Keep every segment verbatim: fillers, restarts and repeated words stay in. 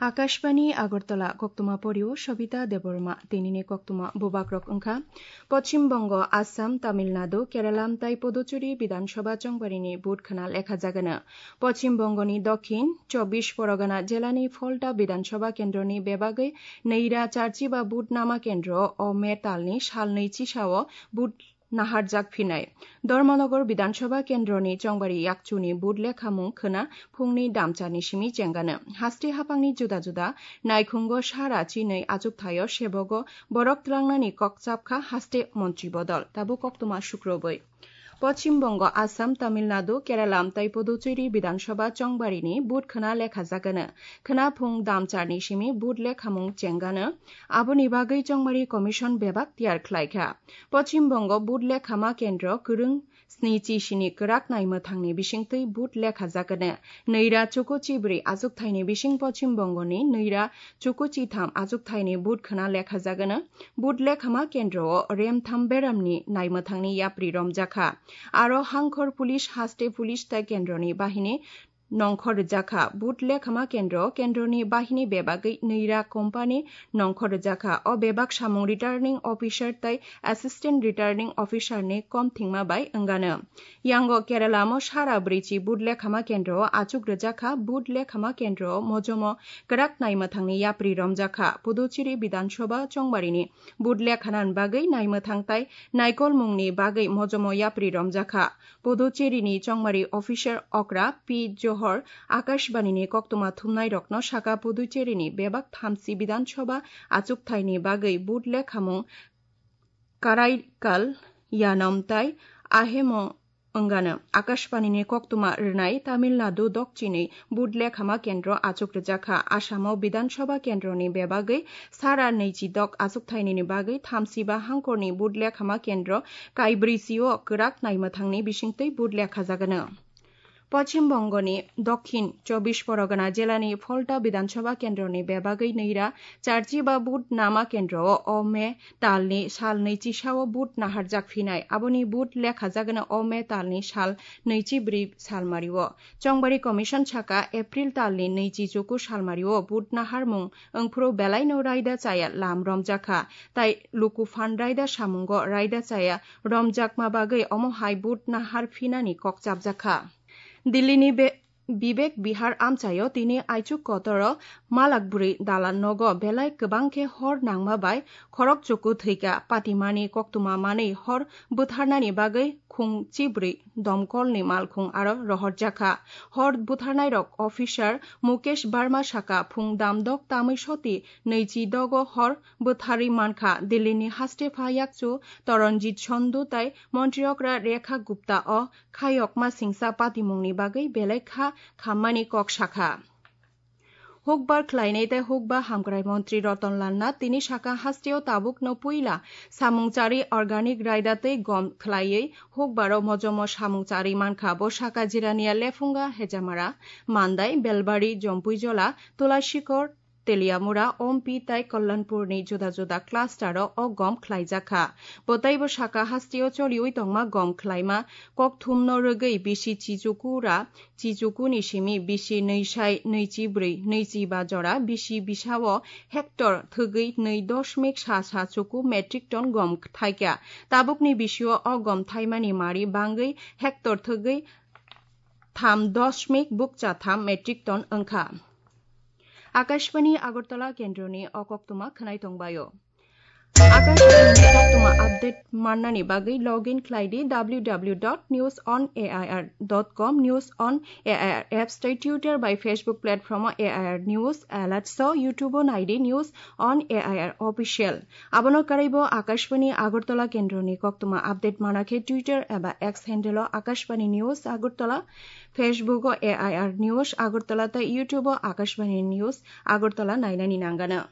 Akashbani Agartala, koktwma porio Sobita Debbarma. Tinini koktwma bubagrok wngkha: Poschim Bongo, Assam, Tamil Nadu, Kerala tei Puducherry Bidhan Sabha chongbarini vote khna lekha jagano. Poschim Bongoni dokhin chobbish Porgana jelani Phalta Bidhan Sabha kendroni bebagwi nwi ra charchiba vote nama kendro o May talni sal nwi chisao vote naharjak phinai. Dharmanagar Bidhan Sabha kendroni chongbari yakchuni vote lekhamung khwna phungni damcharni simi chengano. Haste haphangni juda juda naikhungo sara chinwi achukthaio sebogo borok twlangnani kok chapkha haste montri bodol. Tabuk koktwma sukrobwi. Poschim Bongo, Assam, Tamil Nadu, Kerala tei Puducherry Bidhan Sabha chongbarini vote khwna lekha jagano. Khwna phung damcharni simi vote lekhamung chengano. Aboni bagwi chongmari commission bebak tiyar khlaikha. Poschim Bongo vote lekhama kendro kwrwng snichi sini kwrak naimwthangni bisingtwi vote lekha jagano. Nwi ra chuku chibrwi achukthaini bising Poschim Bongoni nwi ra chuku chitham achukthaini vote khwna lekha jagano. Vote lekhama kendro o remtham beramni naimwthangni yapri romjakha. Aro hangkhor police, haste police tei kendroni bahini nongkhor rwjakha. Vote lekhama kendro, kendroni bahini bebagwi nwi ra company nongkhor rwjakha. O bebak samung returning officer tei assistant returning officer ni kom thwngma bai wngano. Yango Kerala mo sara bwrwichi vote lekhama kendro o achuk rwjakha. Vote lekhama kendro o mojomo kwrak naimwthangni yapri romjakha. Puducherry Bidhan Sabha chongbarini vote lekhanan bagwi naimwthang tei naikolmungni bagwi mojomo yapri romjakha. Puducherry ni chongmari officer okra P Johor Akashbani ni koktwma thumnai rokno saka Puducherry ni bebak thamchi Bidhan Sabha achukthaini bagwi vote lekhamung Karaikal, Yanom tei Ahemo wngano. Akashbani ni koktwma rwnai Tamil Nadu dokchini vote lekhama kendro achuk rwjakha. Assamo Bidhan Sabha kendroni bebagwi sara nwichi dok achukthainini bagwi thamsiba hangkorni vote lekhama kendro kaibrwi sio kwrak naimwthangni bisingtwi vote lekha jagano. Poschim Bongoni dokhin chobbish Porgana jelani Phalta Bidhan Sabha kendroni bebagwi nwi ra charchiba vote nama kendro o May talni sal nwi chisao vote naharjak phinai. Aboni vote lekha jagano o May talni sal nwi chi bwrwi salmario. Chongbari Commission saka April talni nwi chi chuku salmario vote naharmung wngphuru belaino raida chaya lam romjakha, tai luku phan raida samungo raida chaya romjakma bagwi omo hai vote nahar phinani kok chapjakha. Dillini be-, Bibek Bihar amchaio tini aichuk kotoro malak bwrwi dalan nogo belai kwbang khe hor nangma bai khorok chuku thwika. Patimani koktwma manwi hor bwtharnani bagwi khung chibrwi domkolni malkhung aro rohorjakha. Hor bwtharnairok officer Mukesh Barma saka phung damdok tamwi soti nwi chi dogo hor bwtharwi mankha. Dillini haste pha yakchu Toronjit Sondu tai montri okra Rekha Gupta o khayokma singsa patimungni bagwi belai kha khammani kok sakha. Hukbar khlainai tei hukba hamkrai montri Ratan Lal Nath tini saka hasteo tabukno puila samung chari organic raida tei gom khlaiwi hukbaro mojomo samung chari mankha. Bo saka Jirania, Lephunga, Hejamara, Mandai, Belbari, Jompuijola, Tulashikor, Teliamura, Ompi tai Kalyanpurni juda juda clustero o gom khlaijakha. Bo teibo saka hasteo choliwi tongma gom khlaima kokthumno rwgwi bisi chichukura, chichukuni simi bisi nwi sai nwi chi bwrwi, nwi chi ba jora bisi bisao hectare thwgwi nwi dosmik sa sa chuku metric ton gom thaikha. Tabukni bisio o gom thaimani mari bangwi hectare thwgwi tham dosmik bukcha tham metric ton wngkha. Akashbani Agartala kendroni o koktwma khwnai tongbaio. Akashbani koktwma update mannani bagwi login khlai di W W W dot news on A I R dot com, News on A I R apps tei Twitter bai Facebook platform o A I R News Alerts o, YouTube o nai di News on A I R Official. Abono karwibo Akashbani Agartala kendroni koktwma update mana khe Twitter eba X handle o Akashbani News Agartala, Facebook o A I R News Agartala tei YouTube o Akashbani News Agartala nainani nangano.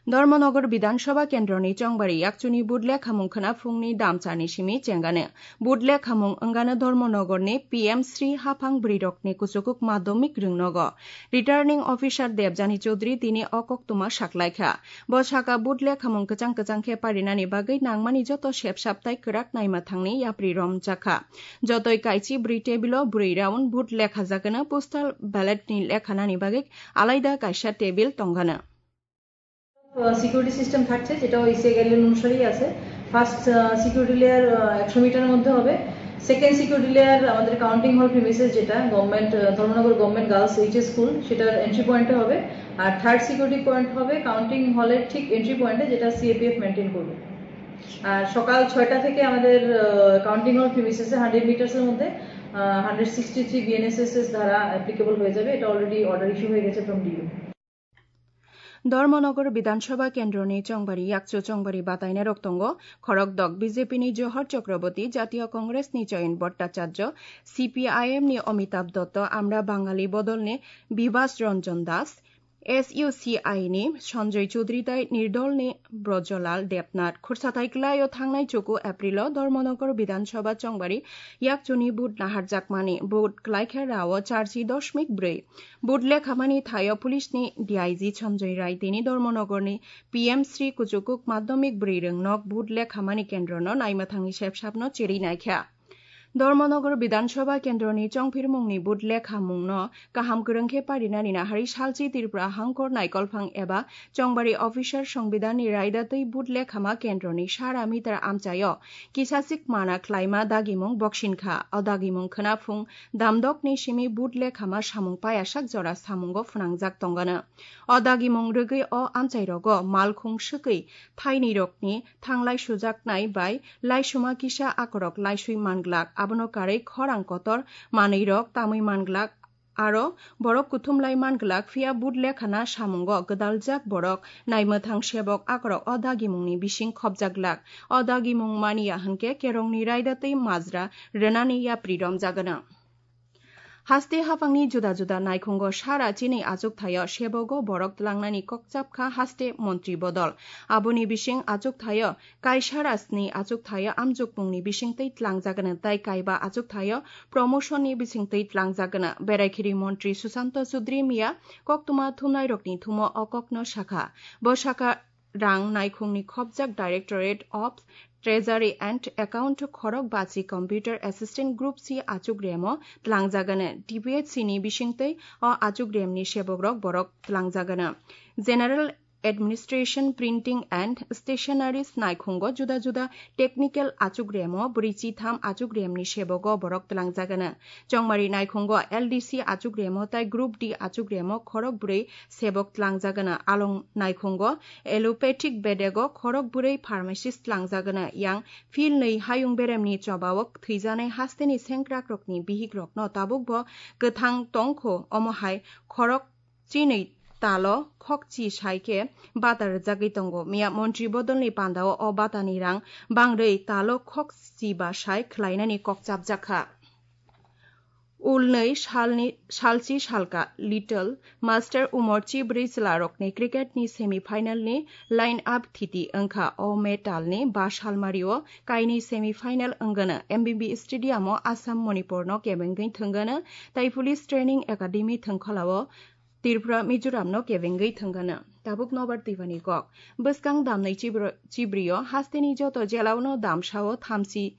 Dharmanagar Bidhan Sabha kendroni chongbari yakchuni budle khamung khwna phungni damchani simi chengano. Budle khamung wngano Dharmanagarni P M Sri haphang bwrwirokni kuchukuk madhyamik rwngnogo. Returning Officer Debjani Chaudhary tini o koktwma saklaikha. Bo saka budle khamung kwchang kwchang khe parinani bagwi nangmani joto sepsap tai kwrak naima thangni yapri romjakha. Jotoi kaichi bwrwi table-o bwrwi round budle khajakano, postal ballot-ni lekhanani bagwi alaida kaisa table tongano. Ah, security system থাকছে, যেটাও ECI guideline অনুসারেই আছে। First, ah, security layer, ah, একশো মিটারের মধ্যে হবে। Second security layer আমাদের counting hall premises, যেটা government, ah, Dharmanagar government girls HS school, সেটার এন্ট্রি পয়েন্টে হবে। আর থার্ড সিকিউরিটি পয়েন্ট হবে কাউন্টিং হলের ঠিক এন্ট্রি পয়েন্টে, যেটা সিএপিএফ মেনটেন করবে। আর সকাল ছয়টা থেকে আমাদের, আহ, কাউন্টিং হল প্রিমিসেসে হান্ড্রেড মিটার্সের মধ্যে, আহ, হান্ড্রেড সিক্সটি থ্রি বিএনএসএসএস ধারা অ্যাপ্লিকেবল হয়ে যাবে। এটা অলরেডি অর্ডার ইস্যু হয়ে গেছে from DU. Dharmanagar Bidhan Sabha kendroni chongbari yakchu chongbari batainarok tongo, khorokdok B J P ni Johor Chakraborty, Jatiya Congress ni Jayant Bhattacharya, C P I M ni Amitabh Dutta, Amra Bangali bodolni Bibhas Ranjan Das, S U C I ni Sanjay Chaudhary tai Nirdol ni Brajalal Debnath. Khursathai kwlaio thangnai chuku April o Dharmanagar Bidhan Sabha chongbari yakchuni vote naharjakmani, vote kwlaikha rao charchi doshmik bwrwi. Vote lekhamani thaio police ni D I G Sanjay Rai tini Dharmanagar ni P M Sri kuchukuk madhyamik bwrwi rwngnok vote lekhamani kendro no naima thangni sepsap no chiri naikha. Dharmanagar Bidhan Sabha kendroni chongphirmungni vote lekhamungno kaham kwrwng khe parinani nahari salchi Tripura Hangkor Naikolphang eba chongbari officer songbidanni raida twi vote lekhama kendroni sara meter amchaio kisasik mana khlaima dagimung boksinkha. O dagimung khwna phung damdokni simi vote lekhama samung payasak jora samungo phwnangjak tongano. O dagimung rwgwi o amchairogo malkhung swkwi thainwirokni thanglai sujaknai bai laisuma kisa akorok laisui manglak, abono karwi khorang kotor manwirok tamwi manglak, aro borok kuthumlai manglak, phiya vote lekhana samungo gwdaljak borok naimwthang sebok akorok o dagimungni bising khopjaglak. O dagimung maniya hwnkhe kerongni raida tei majra rwnani yapri romjagano. Haste haphangni juda juda naikhungo sara chini achukthaio sebogo borok tlangnani kokchapkha haste montri bodol. Aboni bising achukthaio kaisara sni achukthaio amjukmungni bisingtwi tlangjagano tai kaiba achukthaio promotion ni bisingtwi tlangjagano. Beraikhiri montri Sushanta Chaudhary miya koktwma thumnairokni thumo o kokno sakha. Bo sakha rang naikhungni khopjak Directorate of Treasury and Account khorok bachi Computer Assistant Group C achukremo tlangjagano. T P H C ni bisingtwi o achukremni sebokrok borok tlangjagano. General Administration, Printing and Stationeries naikhungo juda juda technical achukremo bwrwi chitham achukremni sebogo borok tlangjagano. Chongmari naikhungo L D C achukremo tai Group D achukremo khorok bwrwi sebok tlangjagano. Along naikhungo allopathic bedego khorok bwrwi pharmacist tlangjagano. Yang phil nwi hayung beremni chobao thwijanai hasteni sengkrakrokni bihikrokno tabukbo kwthang tongkho, omo hai khorok chinwi talo khokchi sai khe bata rwjagwi tongo. Miya montri bodolni pandao o batani rang bangrwi talo khokchi ba sai khlainani kok chapjakha. Ulnwi salni, salchi salka Little Master Umorchi bwrwi chwlarokni cricket ni semi final ni line up thiti wngkha. O May talni ba salmario kainwi semi final wngano. M B B stadium o Assam Manipur no kebengwi thwngano tai Police Training Academy thwngkholao Tripura Mizoram no kebengwi thwngano. Tabuk nobar twibani kok. Bwskang damnai chibro-, chibrio hasteni joto jelao no damsao thamchi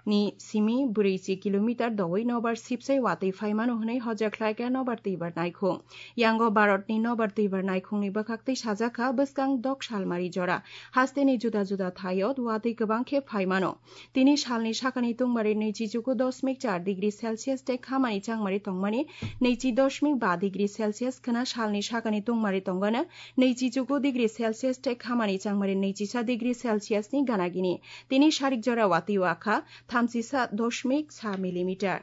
ni simi bwrwi chi kilometer dowi nobar sipsai watwi phaimano hwnwi hoja khlaikha nobar twibar naikhung. Yango Bharatni nobar twibar naikhungni bwkhaktwi sajakha bwskang dok salmari jora. Hasteni juda juda thaio watwi kwbang khe phaimano. Tini salni sakani tungmari nwichi chuku dosmik char degree Celsius tei khamani changmari tongmani nwichi dosmik ba degree Celsius khwna salni sakani tungmari tongano nwichi chuku degree Celsius tei khamani changmari nwichisa degree Celsius ni ganagini. Tini sarik jora watwi wakha thamchisa dosmik sa millimeter.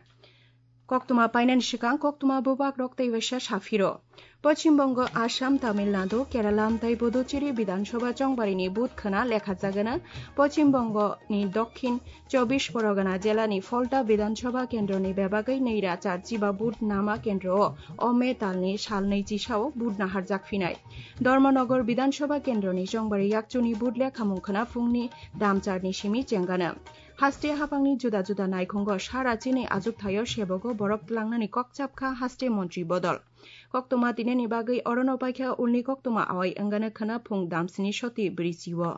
Koktwma painani swkang koktwma bubagrok tei waisa saphiro. Poschim Bongo, Assam, Tamil Nadu, Kerala tei Puducherry Bidhan Sabha chongbarini vote khwna lekha jagana. Poschim Bongo ni Dokhin Chobbish Porgona jelani Phalta Bidhan Sabha kendroni bebagwi nwi ra cha chiba vote nama kendro o, o May talni salnwi chisao vote naharjak phinai. Dharmanagar Bidhan Sabha kendroni chongbari yakchuni vote lekhamung khwna phungni damcharni simi chengana. Haste haphangni juda juda naikhungo sara chini ajukthaio sebogo borok tlangnani kok chapkha haste montri bodol. Koktwma tineni bagwi orono paikha ulni koktwma awai wngana khwna phung damsini soti brichio.